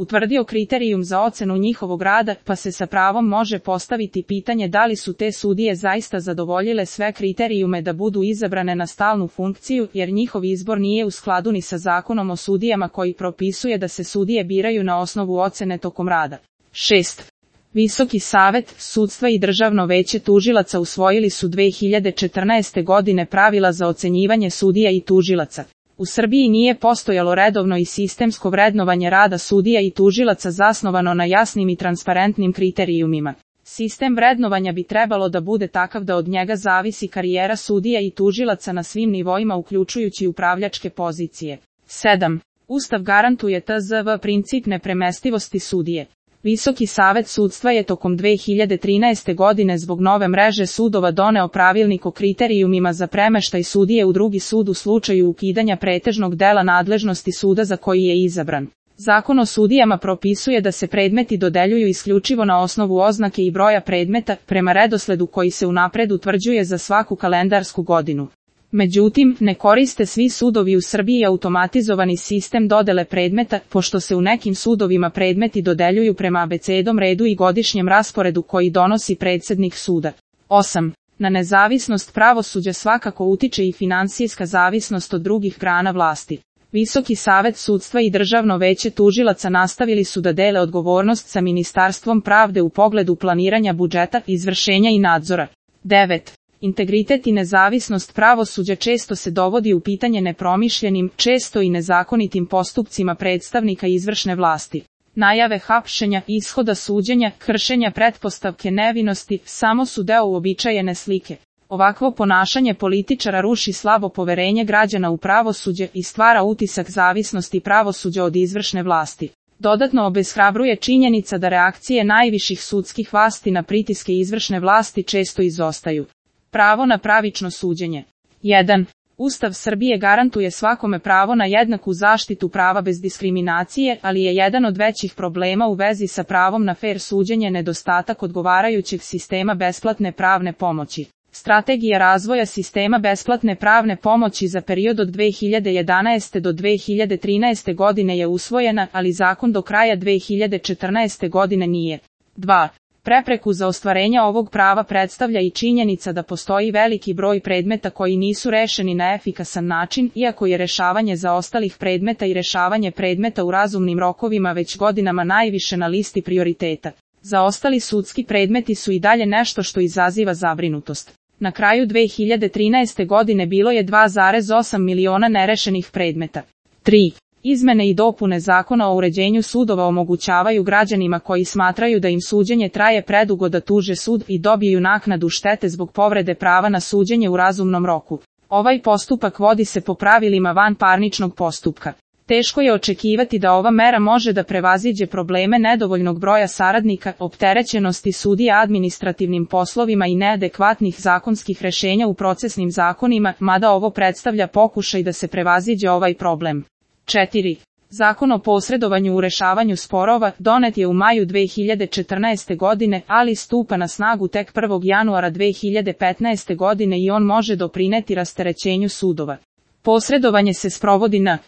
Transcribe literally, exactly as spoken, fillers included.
utvrdio kriterijum za ocenu njihovog rada, pa se sa pravom može postaviti pitanje da li su te sudije zaista zadovoljile sve kriterijume da budu izabrane na stalnu funkciju, jer njihov izbor nije u skladu ni sa zakonom o sudijama koji propisuje da se sudije biraju na osnovu ocene tokom rada. šest. Visoki savet sudstva i Državno veće tužilaca usvojili su dve hiljade četrnaeste. godine pravila za ocenjivanje sudija i tužilaca. U Srbiji nije postojalo redovno i sistemsko vrednovanje rada sudija i tužilaca zasnovano na jasnim i transparentnim kriterijumima. Sistem vrednovanja bi trebalo da bude takav da od njega zavisi karijera sudija i tužilaca na svim nivoima uključujući upravljačke pozicije. sedam. Ustav garantuje T Z V princip nepremestivosti sudije. Visoki savet sudstva je tokom dve hiljade trinaeste. godine zbog nove mreže sudova doneo pravilnik o kriterijumima za premeštaj sudije u drugi sud u slučaju ukidanja pretežnog dela nadležnosti suda za koji je izabran. Zakon o sudijama propisuje da se predmeti dodeljuju isključivo na osnovu oznake i broja predmeta, prema redosledu koji se unapred utvrđuje za svaku kalendarsku godinu. Međutim, ne koriste svi sudovi u Srbiji automatizovani sistem dodele predmeta, pošto se u nekim sudovima predmeti dodeljuju prema abecednom redu i godišnjem rasporedu koji donosi predsednik suda. osam. Na nezavisnost pravosuđa svakako utiče i finansijska zavisnost od drugih grana vlasti. Visoki savet sudstva i Državno veće tužilaca nastavili su da dele odgovornost sa Ministarstvom pravde u pogledu planiranja budžeta, izvršenja i nadzora. devet. Integritet i nezavisnost pravosuđa često se dovodi u pitanje nepromišljenim, često i nezakonitim postupcima predstavnika izvršne vlasti. Najave hapšenja, ishoda suđenja, kršenja pretpostavke nevinosti samo su deo uobičajene slike. Ovakvo ponašanje političara ruši slabo poverenje građana u pravosuđe i stvara utisak zavisnosti pravosuđa od izvršne vlasti. Dodatno obeshrabruje činjenica da reakcije najviših sudskih vlasti na pritiske izvršne vlasti često izostaju. Pravo na pravično suđenje. jedan. Ustav Srbije garantuje svakome pravo na jednaku zaštitu prava bez diskriminacije, ali je jedan od većih problema u vezi sa pravom na fer suđenje nedostatak odgovarajućeg sistema besplatne pravne pomoći. Strategija razvoja sistema besplatne pravne pomoći za period od dve hiljade jedanaeste. do dve hiljade trinaeste. godine je usvojena, ali zakon do kraja dve hiljade četrnaeste. godine nije. dva. Prepreku za ostvarenje ovog prava predstavlja i činjenica da postoji veliki broj predmeta koji nisu rešeni na efikasan način, iako je rešavanje zaostalih predmeta i rešavanje predmeta u razumnim rokovima već godinama najviše na listi prioriteta. Zaostali sudski predmeti su i dalje nešto što izaziva zabrinutost. Na kraju dve hiljade trinaeste. godine bilo je dva zarez osam miliona nerešenih predmeta. tri. Izmene i dopune Zakona o uređenju sudova omogućavaju građanima koji smatraju da im suđenje traje predugo da tuže sud i dobiju naknadu štete zbog povrede prava na suđenje u razumnom roku. Ovaj postupak vodi se po pravilima vanparničnog postupka. Teško je očekivati da ova mera može da prevaziđe probleme nedovoljnog broja saradnika, opterećenosti sudija administrativnim poslovima i neadekvatnih zakonskih rešenja u procesnim zakonima, mada ovo predstavlja pokušaj da se prevaziđe ovaj problem. četiri. Zakon o posredovanju u rešavanju sporova donet je u maju dve hiljade četrnaeste. godine, ali stupa na snagu tek prvog januara dve hiljade petnaeste. godine i on može doprineti rasterećenju sudova. Posredovanje se sprovodi na